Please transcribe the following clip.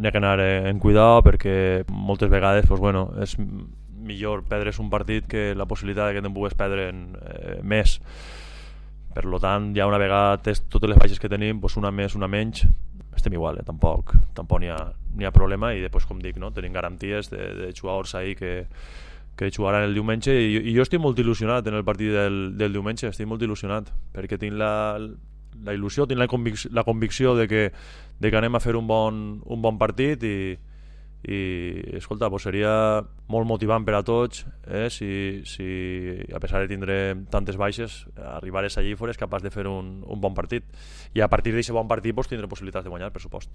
n'hi ha que anar en cuidado perquè moltes vegades pues, bueno, és millor perdre's un partit que la possibilitat que te'n pugues perdre més. Per tant, ja una vegada totes les baixes que tenim, pues una més, una menys, estem igual, tampoc n'hi ha problema, i després, com dic, no? Tenim garanties de jugadors ahí que jugaran el diumenge, i jo estic molt il·lusionat en el partit del diumenge, estic molt il·lusionat perquè tinc la il·lusió, tinc la convicció de que anem a fer un bon partit, i escolta, pues seria molt motivant per a tots si a pesar de tindre tantes baixes arribares allí i fores capaç de fer un bon partit, i a partir d'aquest bon partit pues, tindré possibilitats de guanyar, per supost.